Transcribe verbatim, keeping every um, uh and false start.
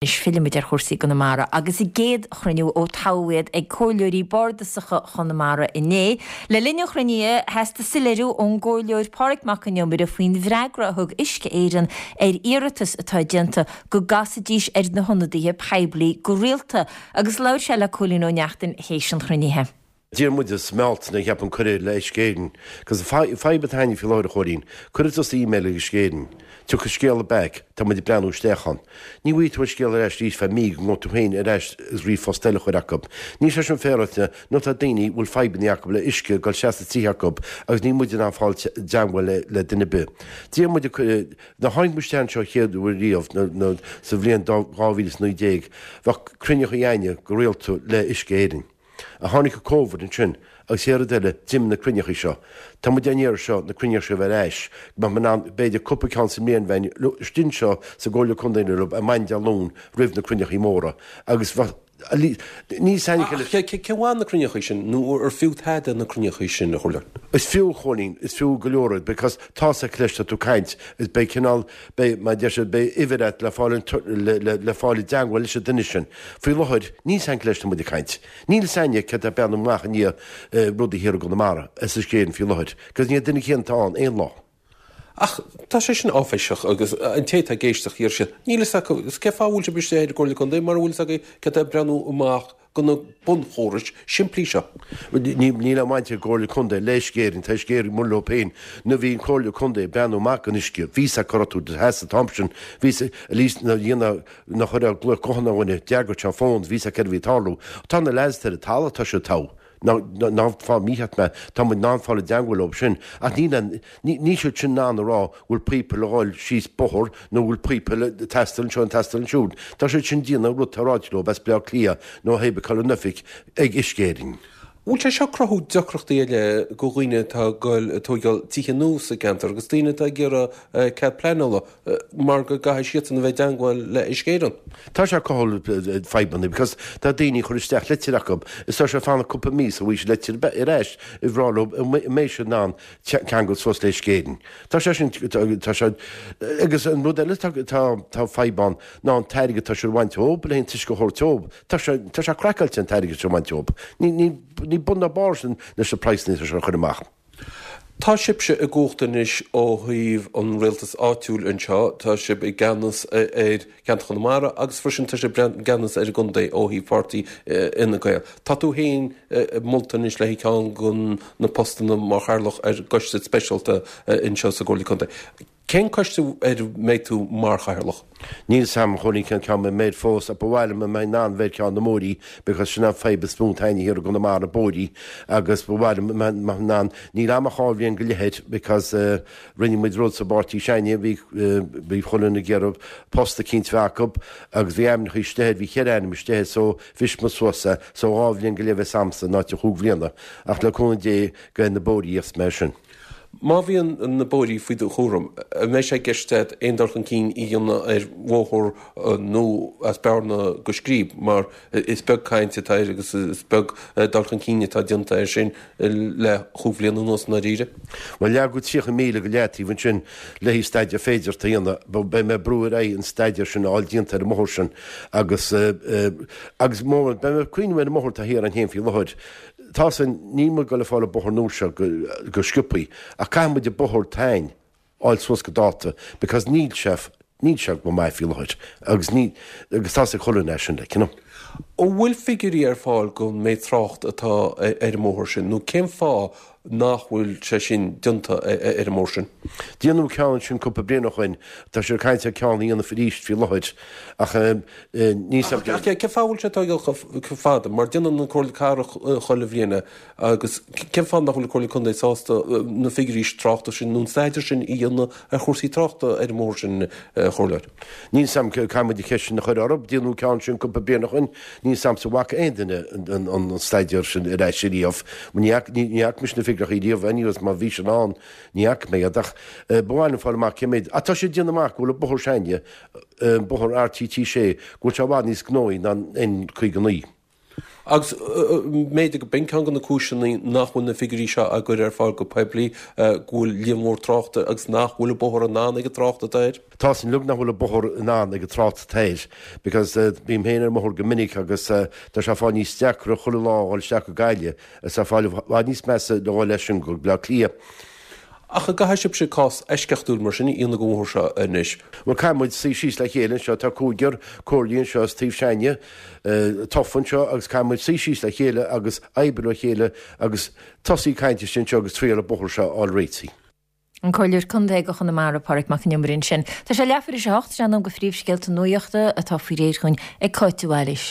Anois fillfimid ar chúrsaí i gConamara agus a gcéad chruinniú ó toghadh iad ag Comhairleoirí Bardasacha Chonamara inné. Le linn an chruinnithe theastaigh soiléiriú ón gComhairleoir Pádraig Mac Con Iomaire faoin bhfreagra a thug Uisce Éireann ar iarratas atá déanta go gcasfaidís ar na hionadaithe poiblí go rialta agus labhair sé le Cóilín Ó Neachtain théis an chruinnithe. D'iarr muid i mBealtaine cheapaim cuireadh le Uisce Éireann, cos fadhb atá againne faoi láthair a Chóilín, cuirfidh tusa email ag Uisce Éireann, tiocfaidh scéala back, tá muid ag breathnú isteach ann. Ní bhfaighidh tú an scéal ar ais arís feadh mí go ngabhfaidh tú féin ar ais agus ríomhphost eile a chur acu. Níl sé sin féaráilte nó tá daoine bhfuil fadhbanna acu le uisce ag dul isteach sna tithe acu agus níl muid in ann fáil teagmháil le duine ar bith. D'iarr muid nuair a tháinig muid isteach anseo chéad uair riamh sa bhliain dhá mhíle is naoi déag, bheadh cruinneacha againne go rialta le Uisce Éireann. Ach tháinig an Covid ansin agus chéad rud eile d'imigh na cruinneachaí seo. Tá muid á n-iarraidh seo na cruinneacha seo a bheith ar ais, go mbeadh muid in ann b'fhéidir cúpla ceann sa mbliain bheinn istigh anseo sa gComhairle Contae nó ar maidin Dé Luain roimh na cruinneachaí móra agus bheadh níl 's a'inn Ach cé mhaith na cruinneachaí sin nó ar fiú tada na cruinneachaí sin a Chomhairleoir? Is fiú, a Chóilín, is fiú go leor iad because tá's a'd leis tá tú ag caint is beidh cineál, beidh, mar a deir siad, beidh uimhir a't le fáil an, le, le, le fáil i dteangmháil leis an duine sin. Faoi láthair, níl 's a'inn cé leis tá muid ag caint. Níl 's a'inne cé tá ag breathnú amach i ndiaidh rudaí thiar i gConamara, as Uisce Éireann faoi láthair, cos ní an duine céanna atá ann aon lá. Ach tá sé sin áiféiseach agus an té atá ag éisteacht déarfaidh siad, níl 'fhios acu, cén fáth a bhfuil sibh istigh ar an gComhairle Contae mura bhfuil 'fhios agaibh cé atá ag breathnú amach do na bunchórais simplí seo. Níl aon bhaint ag an gComhairle Contae le Uisce Éireann, tá Uisce Éireann amuigh leo féin. Nuair a bhí an Chomhairle Contae ag breathnú amach don uisce, bhí 's a'd cá raibh tú do sheasamh an t-am sin, bhí 's at least nuair a dhéanamh, nach raibh glaoch gutháin ar dhuine, d'fhreagair sé an fón, bhí 's a'd céard a bhí ag tarlú. Tá na lads ar an talamh, tá siad togha. Ná ná fáth mícheart mé, tá muid in ann fáil i dteangmháil leo sin, ach níl aon, níl siad sin in ann a rá bhfuil píopa le dhul síos bóthar nó bhfuil píopa le teastáil anseo nó teastáil ansiúd. Tá siad sin ag déanamh rud atá ráite leo as Baile Átha Cliath nó pé ar bith cá bhfuil an oifig ag Uisce Éireann. Bhfuil sé seo ag cruthú deacrachtaí eile do dhaoine atá ag goil ag tóigeáil tithe nua sa gceantar agus daoine atá ag iarraidh cead pleanála mar go gcaithfidh siadsan a bheith i dteangmháil le Uisce Éireann? Tá sé ag cothú fadhbanna because tá daoine ag cur isteach litir acu is tá sé ag fanacht cúpla mí sula bhfaighidh siad litir ar ais ag rá leo an mbeidh siad in ann ceangal suas le Uisce Éireann. Tá sé sin, tá sé, agus an rud eile tá, tá fadhb ann ná an t-airgead atá siad a bhaint ób le an t-uisce a thabhairt ób. Tá sé, tá sé craiceáilte an t-airgead seo a bhaint ób. Ní, ní, ní bun ná barr sin leis na praghsanna atá siad a chur amach. Tá sibhse i gcumhacht anois ó thaobh an rialtas áitiúil anseo, tá sibh i gceannas ar cheantar Chonamara agus freisin tá sibh i gceannas ar an gcontae ó thaobh pháirtí Fhine Gael. Tá tú féin molta anois le haghaidh ceann de na postanna mar chathaoirleach ar gcoiste speisialta anseo sa gComhairle Contae. Cén coiste ar a mbeidh tú mar chathaoirleach? Níl 's a'm a Chóilín cén ceann a mbeidh fós ach ba mhaith liom a mbeinn in ann bheith ar ceann na mbóithrí because sin an fadhb is mó atá againne thiar i gConamara, bóithrí agus ba mhaith liom a mbeinn in ann, níl a'm ach dhá bhliain go leith air because rinne muid rud sa bpáirtí s'againne, bhí bhí chuile dhuine ag iarraidh post eicínt bheith acu agus bhí ainmneacha istigh air, bhí cheithre ainm istigh air so bhris muid suas é so dhá bhliain go leith a bheas a'msa in áit an chúig bhliana ach le cúnamh Dé go na bóithrí a dhéanfas mé sin. Má bhíonn na bóithrí faoi do chúram, an mbeidh sé i gceist agat aon dul chun cinn a dhéanamh ar bhóthar nó as Bearna go Scríb mar is beag caint atá air agus is beag dul chun cinn atá déanta air sin le chúig bhliana anuas i ndáiríre? Bhuel, leagadh tríocha míle go leataobh ansin le haghaidh staidéar féideartha a dhéanamh. Beidh mé ag brú ar aghaidh an staidéar sin a fháil déanta ar an mbóthar sin agus agus beidh mé ag cuimhneamh ar an mbóthar atá thiar ann féin faoi láthair. Tá san, níl muid ag dul ag fáil an bóthar nua seo go sciobthaí, ach caithfidh muid an bóthar atá a'inn a fháil suas go dáta because níl sé, níl sé go maith faoi láthair agus ní, agus tá's ag chuile dhuine é sin like, you know. An bhfuil figiúirí ar fáil don méid trácht atá ar an mbóthar sin nó cén fáth nach bhfuil sé sin déanta ar an mbóthar sin? Déanadh ceann ansin cúpla bliain ó shoin, tá siad ag caint ar ceann a dhéanamh arís faoi láthair ach ní. Ach cén fáth a bhfuil sé ag tógáil chomh fada? Mar déanann an Comhairle Cathrach chuile bhliain é agus cén fáth nach bhfuil an Comhairle Contae sásta na figiúirí tráchta sin nó an staidéar sin a dhéanamh ar chúrsaí tráchta ar an mbóthar sin, a Chomhairleoir? Níl 's a'm, caithfidh muid an cheist sin a chur orthu. Déanadh ceann sin cúpla bliain ó shoin. Níl 's a'msa an bhfaca aon duine an staidéar sin ar ais ariamh. Ní fhaca mise na figiúirí riamh anyways má bhí siad ann ní fhaca mé iad ach ba mhaith liom fáil amach cé méid ach tá siad ag déanamh amach go bhfuil an bóthar s'againne, bóthar RTT sé, go bhfuil sé i bhfad níos gnóthaí ná an N caoga naoi. Agus b'fhéidir go b'in ceann de na cúiseanna nach bhfuil na figiúirí seo á gcur ar fáil go poiblí, go bhfuil líon mór tráchta agus nach bhfuil an bóthar in ann ag an trácht atá air. Tá sin uilig nach bhfuil an bóthar in ann ag an trácht atá air because bím féin ar an mbóthar go minic agus tá sé ag fáil níos deacra chuile lá a dhul isteach go Gaillimh is tá fáil i bhfad níos measa le dhul leis sin go Bleá Cliath. Ach an gcaithfidh sibhse cás eisceachtúil mar sin a dhéanamh den bhóthar seo anois? Bhuel, caithfidh muid suí síos le chéile anseo, tá cúigear comhairleoirí anseo as taobh s'againne tofa anseo agus caithfidh muid suí síos le chéile agus oibriú le chéile agus tosaí ag caint istigh anseo agus triail an bóthar seo a fháil réitithe. An Comhairleoir Contae do Chonamara, Pádraig Mac Con Iomaire ansin. Tá sé leathuair tar éis a hocht, sé an am do phríomhscéalta nuachta atá faoi réir chugainn ag Cáit de Bhailís.